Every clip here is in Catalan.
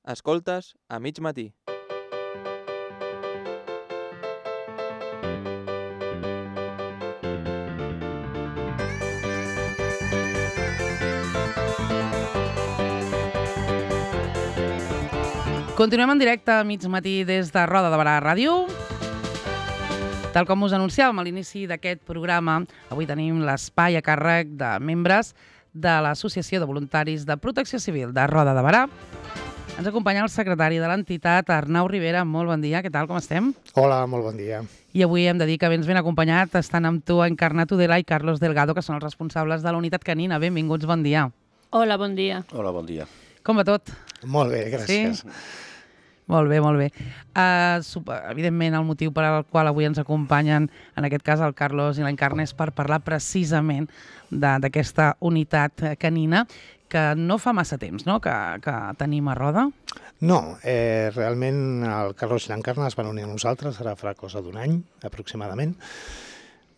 Escoltes a mig matí. Continuem en directe a mig matí des de Roda de Barà Ràdio. Tal com us anunciàvem a l'inici d'aquest programa, avui tenim l'espai a càrrec de membres de l'Associació de Voluntaris de Protecció Civil de Roda de Barà. Ens acompanya el secretari de l'entitat, Arnau Rivera. Molt bon dia, què tal, com estem? Hola, molt bon dia. I avui hem de dir que vens ben acompanyat. Estan amb tu Encarna Tudela i Carlos Delgado, que són els responsables de la unitat canina. Benvinguts, bon dia. Hola, bon dia. Hola, bon dia. Com va tot? Molt bé, gràcies. Sí? Molt bé, molt bé. Evidentment, el motiu per al qual avui ens acompanyen, en aquest cas el Carlos i l'Encarna, és per parlar precisament d'aquesta unitat canina que no fa massa temps, no?, que tenim a Roda. No, realment el Carlos i l'Encarna es van unir a nosaltres, ara farà cosa d'un any, aproximadament.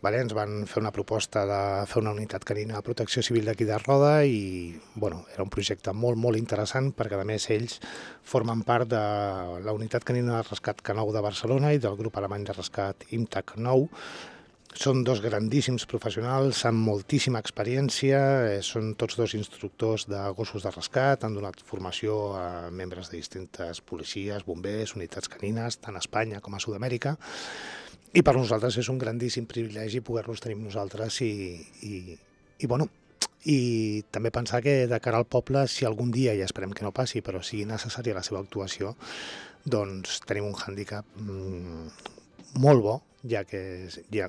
Ens van fer una proposta de fer una unitat canina de protecció civil d'aquí de Roda i era un projecte molt, molt interessant perquè, a més, ells formen part de la unitat canina de rescat K9 de Barcelona i del grup alemany de rescat IMTAC 9. Són dos grandíssims professionals amb moltíssima experiència, són tots dos instructors de gossos de rescat, han donat formació a membres de distintes policies, bombers, unitats canines, tant a Espanya com a Sud-amèrica. I per nosaltres és un grandíssim privilegi poder-los tenir amb nosaltres i també pensar que de cara al poble, si algun dia, i esperem que no passi, però sigui necessària la seva actuació, doncs tenim un hàndicap molt bo, ja que,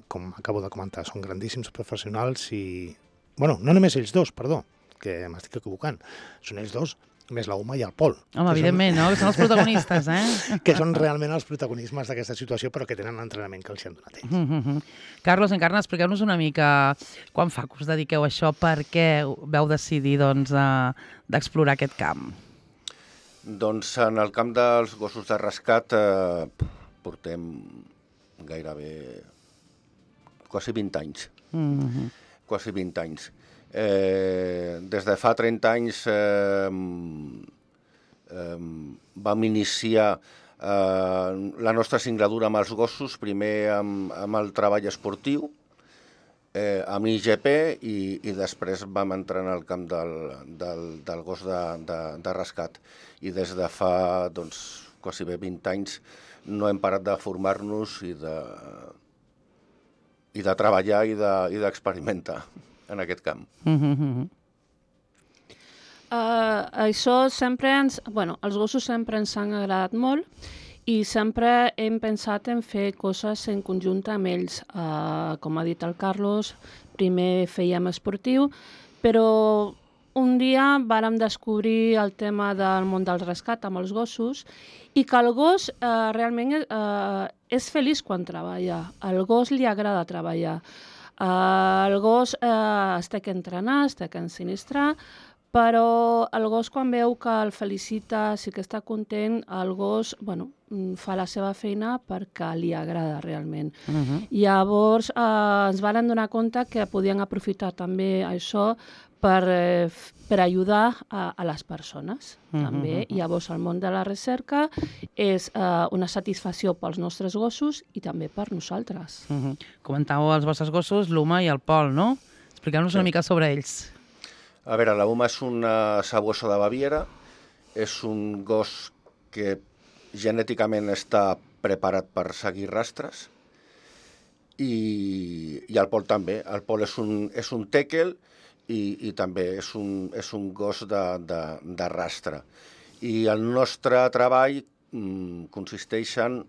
com acabo de comentar, són grandíssims professionals i... no només ells dos, perdó, que m'estic equivocant, són ells dos, més la Uma i el Pol. Home, evidentment, no? Que són els protagonistes, eh? Que són realment els protagonismes d'aquesta situació, però que tenen l'entrenament que els hi han donat ells. Carlos, Encarna, expliqueu-nos una mica quan fa que us dediqueu a això, per què vau decidir d'explorar aquest camp? Doncs en el camp dels gossos de rescat portem gairebé quasi 20 anys. Quasi 20 anys. Des de fa 30 anys vam iniciar la nostra singladura amb els gossos, primer amb el treball esportiu, amb IGP, i després vam entrar en el camp del gos de rescat. I des de fa quasi bé 20 anys no hem parat de formar-nos i de treballar i d'experimentar en aquest camp. Això sempre els gossos sempre ens han agradat molt i sempre hem pensat en fer coses en conjunt amb ells. Com ha dit el Carlos, primer fèiem esportiu, però un dia vàrem descobrir el tema del món del rescat amb els gossos i que el gos realment és feliç quan treballa. Al gos li agrada treballar. El gos es té que entrenar, es té que ensinistrar, però el gos quan veu que el felicita, sí que està content, el gos fa la seva feina perquè li agrada realment. Llavors ens van donar compte que podien aprofitar també això per ajudar a les persones. També. Llavors el món de la recerca és una satisfacció pels nostres gossos i també per nosaltres. Comentàveu els vostres gossos, l'Uma i el Pol, no? Expliqueu-nos una mica sobre ells. A veure, la Uma és una sabuosa de Baviera, és un gos que genèticament està preparat per seguir rastres, i el Pol també. El Pol és un tèquel i també és un gos de rastre. I el nostre treball consisteix en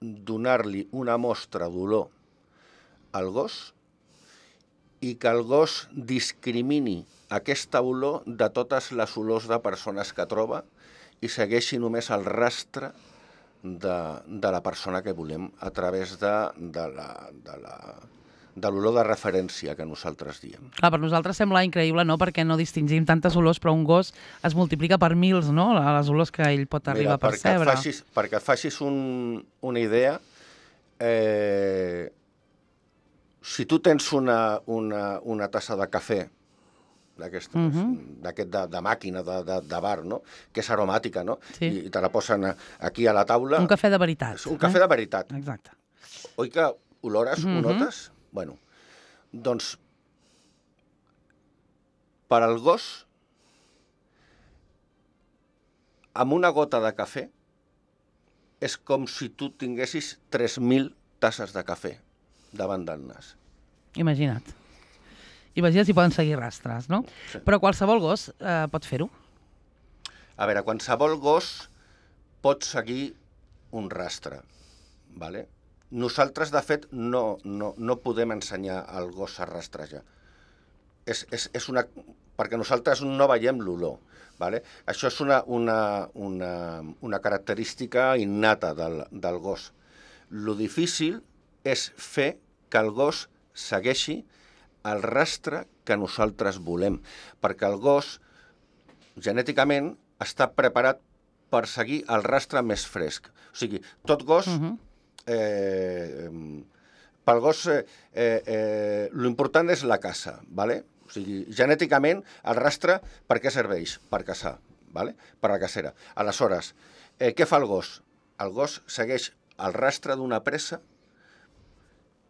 donar-li una mostra d'olor al gos i que el gos discrimini aquesta olor de totes les olors de persones que troba i segueixi només el rastre de la persona que volem a través de l'olor de referència que nosaltres diem. Clar, per nosaltres sembla increïble, no?, perquè no distingim tantes olors, però un gos es multiplica per mils, no?, les olors que ell pot arribar a percebre. Perquè et facis una idea, si tu tens una tassa de cafè d'aquest de màquina, de bar, no? Que és aromàtica, no? Sí. I te la posen aquí a la taula. Un cafè de veritat. Un cafè de veritat. Exacte. Oi que olores, ho notes? Bueno, doncs, per al gos, amb una gota de cafè, és com si tu tinguessis 3.000 tasses de cafè davant del nas. Imagina't. Imagina't si poden seguir rastres, no? Sí. Però qualsevol gos pot fer-ho. A veure, qualsevol gos pot seguir un rastre, ¿vale? Nosaltres, de fet, no podem ensenyar al gos a rastrejar. És una... Perquè nosaltres no veiem l'olor. Vale? Això és una característica innata del gos. Lo difícil és fer que el gos segueixi el rastre que nosaltres volem, perquè el gos genèticament està preparat per seguir el rastre més fresc. O sigui, tot gos... pel gos l'important és la caça, ¿vale? O sigui, genèticament, el rastre per què serveix? Per caçar, ¿vale? Per la cacera. Aleshores, què fa el gos? El gos segueix el rastre d'una presa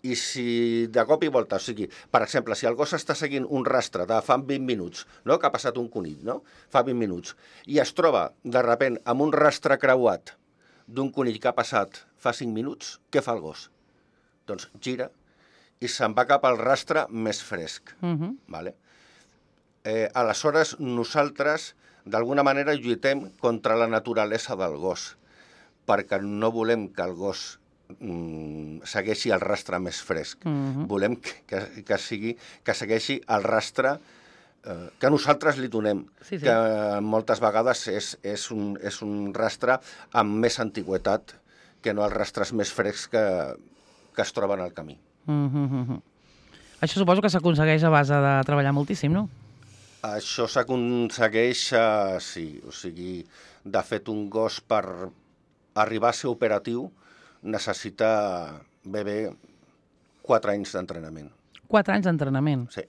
i si de cop i volta, o sigui, per exemple, si el gos està seguint un rastre de fa 20 minuts, no? Que ha passat un conill, no? Fa 20 minuts, i es troba, de sobte, amb un rastre creuat d'un conill que ha passat fa 5 minuts, què fa el gos? Doncs gira i se'n va cap al rastre més fresc. Vale? Aleshores, nosaltres, d'alguna manera, lluitem contra la naturalesa del gos, perquè no volem que el gos segueixi el rastre més fresc. Volem que segueixi el rastre que nosaltres li donem, que moltes vegades és un rastre amb més antigüetat que no els rastres més frescs que es troben al camí. Això suposo que s'aconsegueix a base de treballar moltíssim, no? Això s'aconsegueix, sí. O sigui, de fet, un gos per arribar a ser operatiu necessita ben bé 4 anys d'entrenament. 4 anys d'entrenament? Sí.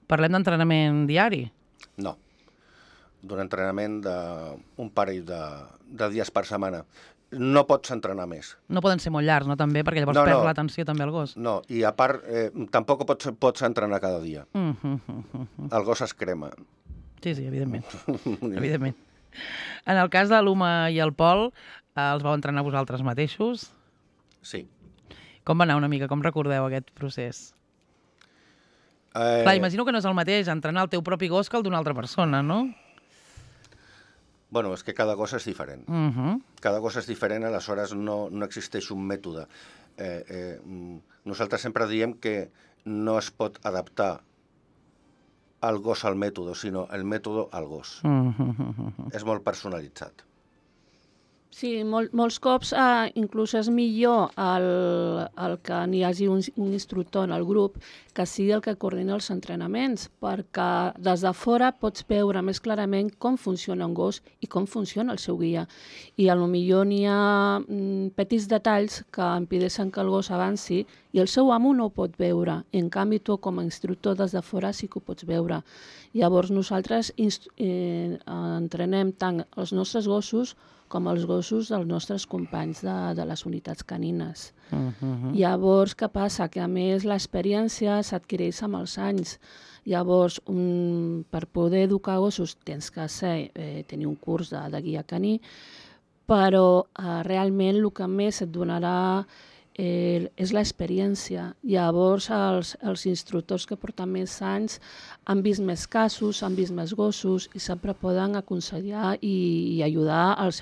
Parlem d'entrenament diari? No. D'un entrenament d'un parell de dies per setmana. No pots entrenar més. No poden ser molt llargs, no, també? Perquè llavors perd l'atenció també al gos. No, i a part, tampoc pots entrenar cada dia. El gos es crema. Sí, evidentment. Evidentment. En el cas de l'Uma i el Pol, els vau entrenar vosaltres mateixos? Sí. Com va anar una mica? Com recordeu aquest procés? Clar, imagino que no és el mateix entrenar el teu propi gos que el d'una altra persona, no? Bueno, és que cada gos és diferent. Cada gos és diferent, aleshores no existeix un mètode. Nosaltres sempre diem que no es pot adaptar el gos al mètode, sinó el mètode al gos. És molt personalitzat. Sí, molts cops inclús és millor el que n'hi hagi un instructor en el grup que sigui el que coordina els entrenaments, perquè des de fora pots veure més clarament com funciona un gos i com funciona el seu guia. I potser n'hi ha petits detalls que impedeixen que el gos avanci i el seu amo no ho pot veure. En canvi, tu com a instructor des de fora sí que ho pots veure. Llavors nosaltres entrenem tant els nostres gossos com els gossos dels nostres companys de les unitats canines. Llavors, què passa? Que a més l'experiència s'adquireix amb els anys. Llavors, per poder educar gossos tens que tenir un curs de guia caní, però realment el que més et donarà és l'experiència. Llavors, els instructors que porten més anys han vist més casos, han vist més gossos i sempre poden aconsellar i ajudar els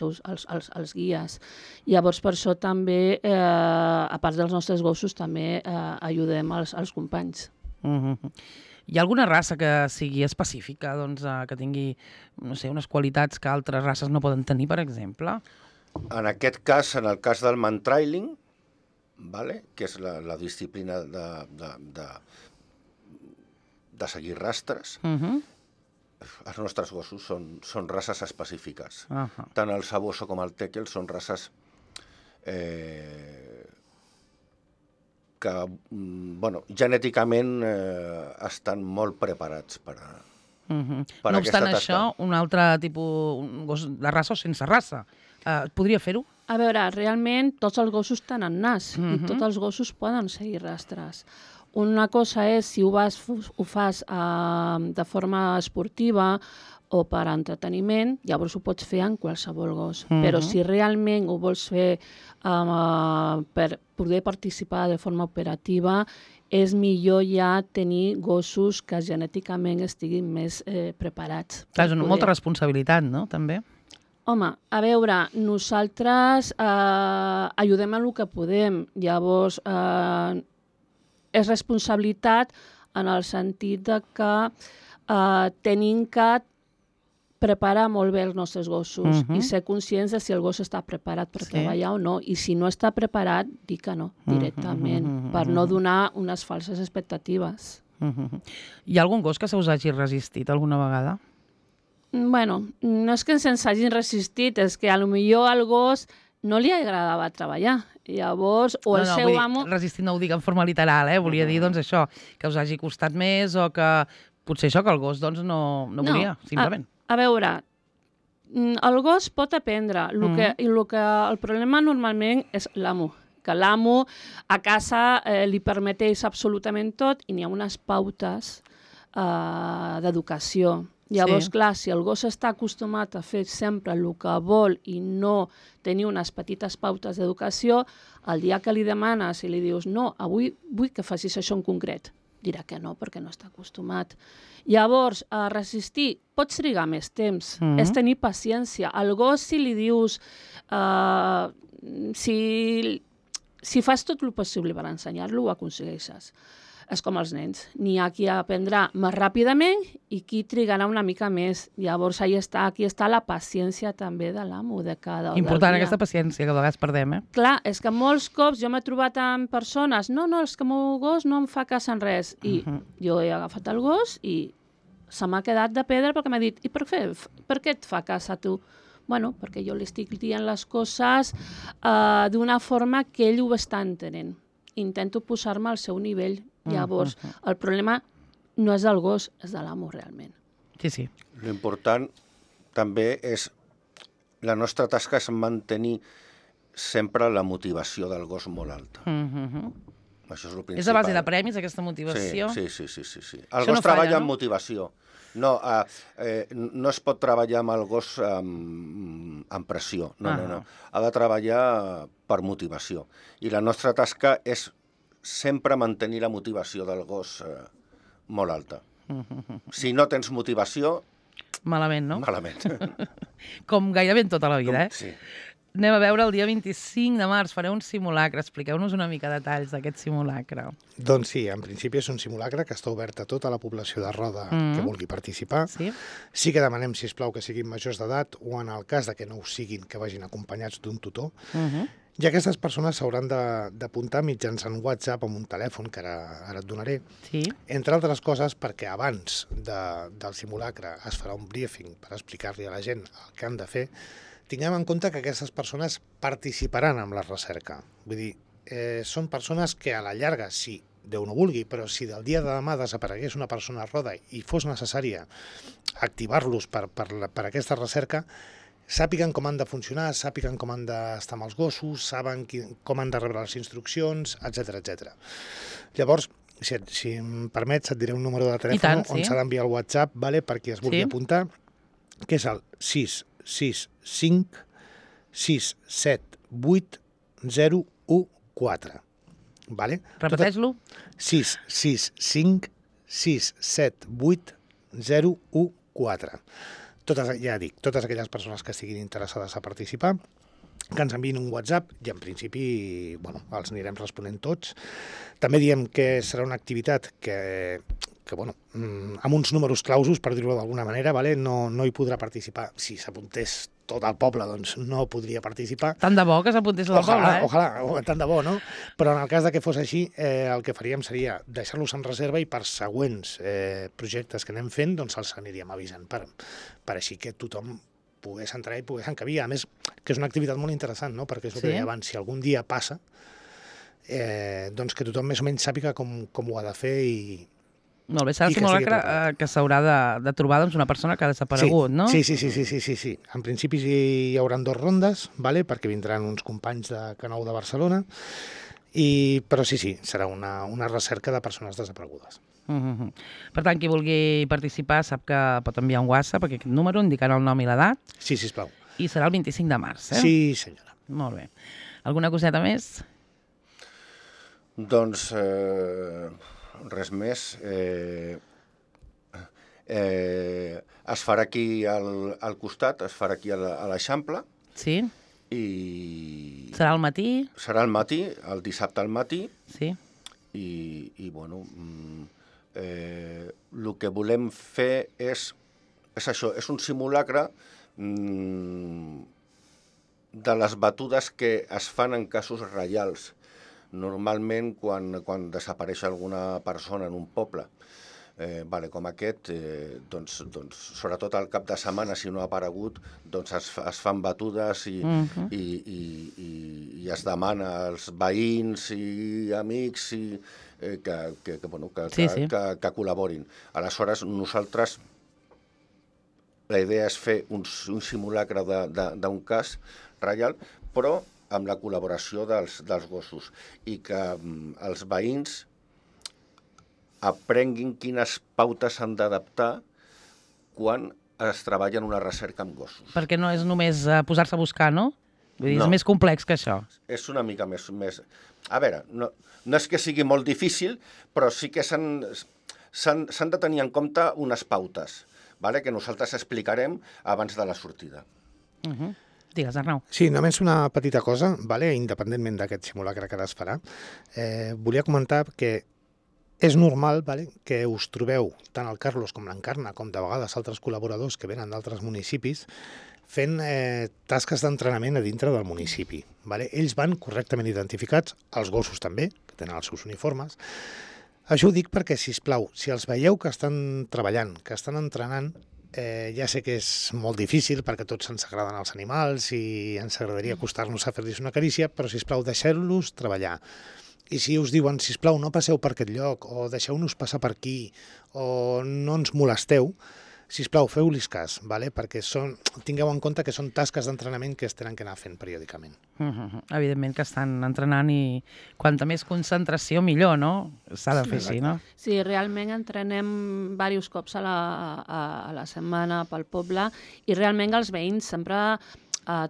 guies. Llavors, per això també, a part dels nostres gossos, també ajudem els companys. Hi ha alguna raça que sigui específica, que tingui, no sé, unes qualitats que altres races no poden tenir, per exemple? En aquest cas, en el cas del mantrailing, que és la disciplina de seguir rastres, els nostres gossos són races específiques. Tant el Saboso com el Tekel són races que genèticament estan molt preparats per per No aquesta obstant tasca. això, un altre tipus, un gos de raça o sense raça, podria fer-ho? A veure, realment tots els gossos tenen nas i tots els gossos poden seguir rastres. Una cosa és si ho fas de forma esportiva o per entreteniment, llavors ho pots fer en qualsevol gos. Però si realment ho vols fer per poder participar de forma operativa, és millor ja tenir gossos que genèticament estiguin més preparats. Clar, és molta responsabilitat, no?, també. Home, a veure, nosaltres ajudem en el que podem. Llavors, és responsabilitat en el sentit de que tenim que preparar molt bé els nostres gossos i ser conscients de si el gos està preparat per treballar o no. I si no està preparat, dir que no, directament, per no donar unes falses expectatives. Hi ha algun gos que se us hagi resistit alguna vegada? Bueno, no és que ens hagin resistit, és que potser al gos no li agradava treballar. Llavors, o el seu amo... Resistir no ho dic en forma literal, volia dir doncs això, que us hagi costat més o que potser això que el gos doncs no volia, simplement. A veure, el gos pot aprendre. El problema normalment és l'amo, que l'amo a casa li permeteix absolutament tot i n'hi ha unes pautes d'educació. Llavors, clar, si el gos està acostumat a fer sempre el que vol i no tenir unes petites pautes d'educació, el dia que li demanes i li dius no, avui vull que facis això en concret, dirà que no, perquè no està acostumat. Llavors, a resistir, pots trigar més temps, és tenir paciència. Al gos, si li dius, si fas tot el possible per ensenyar-lo, ho aconsegueixes. És com els nens. N'hi ha qui aprendrà més ràpidament i qui trigarà una mica més. Llavors, aquí està la paciència també de l'amo de cada dia. Important aquesta paciència, que a vegades perdem, Clar, és que molts cops jo m'he trobat amb persones, no, és que el meu gos no em fa cas en res. I jo he agafat el gos i se m'ha quedat de pedra perquè m'ha dit, i per què et fa cas a tu? Bueno, perquè jo li estic dient les coses d'una forma que ell ho està entenent. Intento posar-me al seu nivell. Llavors, el problema no és del gos, és de l'amo, realment. Sí. L'important també és... La nostra tasca és mantenir sempre la motivació del gos molt alta. Això és el principal. És a base de premis, aquesta motivació? Sí. El gos treballa amb motivació. No es pot treballar amb el gos amb pressió. No. Ha de treballar per motivació. I la nostra tasca és sempre mantenir la motivació del gos molt alta. Si no tens motivació... Malament, no? Malament. Com gairebé en tota la vida, Sí. Anem a veure el dia 25 de març, fareu un simulacre. Expliqueu-nos una mica detalls d'aquest simulacre. Doncs sí, en principi és un simulacre que està obert a tota la població de Roda que vulgui participar. Sí que demanem, sisplau, que siguin majors d'edat o en el cas de que no ho siguin, que vagin acompanyats d'un tutor. I aquestes persones s'hauran d'apuntar mitjançant WhatsApp amb un telèfon, que ara et donaré, entre altres coses perquè abans del simulacre es farà un briefing per explicar-li a la gent el que han de fer. Tinguem en compte que aquestes persones participaran en la recerca. Vull dir, són persones que a la llarga, si Déu no vulgui, però si del dia de demà desaparegués una persona a Roda i fos necessària activar-los per aquesta recerca, sàpiguen com han de funcionar, sàpiguen com han d'estar amb els gossos, saben com han de rebre les instruccions, etc. Llavors, si em permets, et diré un número de telèfon on s'ha d'enviar el WhatsApp per qui es vulgui apuntar, que és el 665 678 014. Repeteix-lo. 665 678 014. Totes aquelles persones que estiguin interessades a participar, que ens enviïn un WhatsApp i en principi els anirem responent tots. També diem que serà una activitat que amb uns números clausos, per dir-ho d'alguna manera, no hi podrà participar. Si s'apuntés tot el poble, doncs no podria participar. Tant de bo que s'apuntés tot el poble, Ojalà, tant de bo, no? Però en el cas que fos així, el que faríem seria deixar-los en reserva i per següents projectes que anem fent, doncs els aniríem avisant per així que tothom pogués entrar i pogués encabir. A més, que és una activitat molt interessant, no? Perquè és el que deia abans, si algun dia passa, doncs que tothom més o menys sàpiga com ho ha de fer Molt bé, serà I el que estigui simulacre preparat. que s'haurà de trobar una persona que ha desaparegut, no? Sí. En principi hi haurà 2 rondes, vale? Perquè vindran uns companys de Canou de Barcelona, però sí, serà una recerca de persones desaparegudes. Per tant, qui vulgui participar sap que pot enviar un WhatsApp a aquest número indicant el nom i l'edat Sí, sisplau. i serà el 25 de març, eh? Sí, senyora. Molt bé. Alguna coseta més? Doncs res més. Es farà aquí al costat, es farà aquí a l'Eixample, Sí? i Serà al matí? serà al matí, el dissabte al matí, Sí? i bueno, el que volem fer és això, és un simulacre de les batudes que es fan en casos reials. Normalment, quan desapareix alguna persona en un poble, com aquest, doncs, sobretot al cap de setmana, si no ha aparegut, doncs es fan batudes i es demana als veïns i amics que col·laborin. Aleshores, nosaltres, la idea és fer un simulacre d'un cas reial, però amb la col·laboració dels gossos, i que els veïns aprenguin quines pautes s'han d'adaptar quan es treballa en una recerca amb gossos. Perquè no és només posar-se a buscar, no? Vull dir, No. és més complex que això. És una mica més... A veure, no és que sigui molt difícil, però sí que s'han de tenir en compte unes pautes, que nosaltres explicarem abans de la sortida. Digues, Arnau. Sí, només una petita cosa, independentment d'aquest simulacre que ara es farà. Volia comentar que és normal que us trobeu, tant el Carlos com l'Encarna, com de vegades altres col·laboradors que venen d'altres municipis, fent tasques d'entrenament a dintre del municipi. Ells van correctament identificats, els gossos també, que tenen els seus uniformes. Això ho dic perquè, sisplau, si els veieu que estan treballant, que estan entrenant, ja sé que és molt difícil perquè tots ens agraden els animals i ens agradaria acostar-nos a fer-los una carícia, però, sisplau, deixeu-los treballar. I si us diuen, sisplau, no passeu per aquest lloc, o deixeu-nos passar per aquí, o no ens molesteu, sisplau, feu-los cas, perquè tingueu en compte que són tasques d'entrenament que es tenen que anar fent periòdicament. Evidentment que estan entrenant i quanta més concentració millor, no? S'ha de fer així, no? Sí, realment entrenem diversos cops a la setmana pel poble i realment els veïns sempre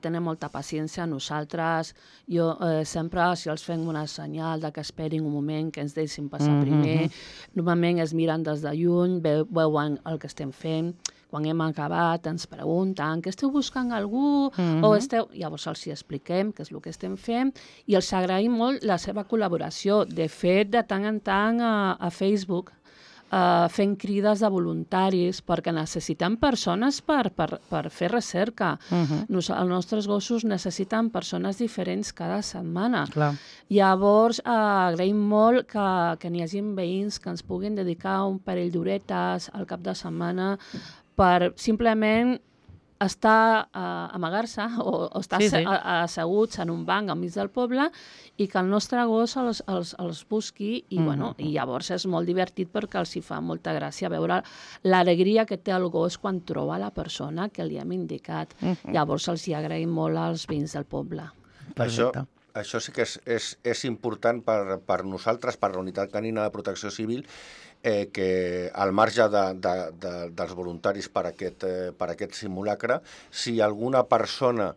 tenen molta paciència. Nosaltres, jo sempre, si els fem una senyal que esperin un moment, que ens deixin passar primer, normalment es miren des de lluny, veuen el que estem fent. Quan hem acabat ens pregunten que esteu buscant algú o esteu... Llavors els expliquem què és el que estem fent i els agraïm molt la seva col·laboració. De fet, de tant en tant a Facebook fent crides de voluntaris perquè necessitem persones per fer recerca. Els nostres gossos necessiten persones diferents cada setmana. Llavors, agraïm molt que n'hi hagi veïns que ens puguin dedicar un parell d'horetes al cap de setmana per simplement estar amagar-se o estar asseguts en un banc al mig del poble i que el nostre gos els busqui i llavors és molt divertit perquè els hi fa molta gràcia veure l'alegria que té el gos quan troba la persona que li hem indicat. Llavors els hi agraïm molt als veïns del poble. Això sí que és important per nosaltres, per la Unitat Canina de Protecció Civil, que al marge dels voluntaris per aquest simulacre, si alguna persona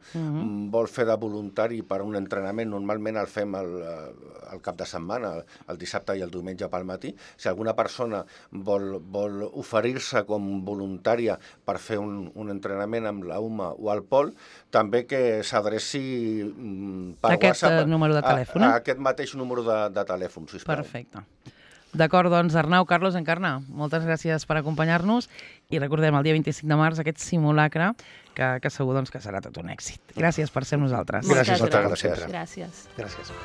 vol fer de voluntari per un entrenament, normalment el fem el cap de setmana, el dissabte i el diumenge pel matí, si alguna persona vol oferir-se com voluntària per fer un entrenament amb la UMA o el Pol, també que s'adreci per WhatsApp a aquest mateix número de telèfon, sisplau. Perfecte. D'acord, doncs, Arnau, Carlos, Encarna, moltes gràcies per acompanyar-nos i recordem el dia 25 de març aquest simulacre que segur que serà tot un èxit. Gràcies per ser amb nosaltres. Gràcies a tots, sempre. Gràcies. Gràcies.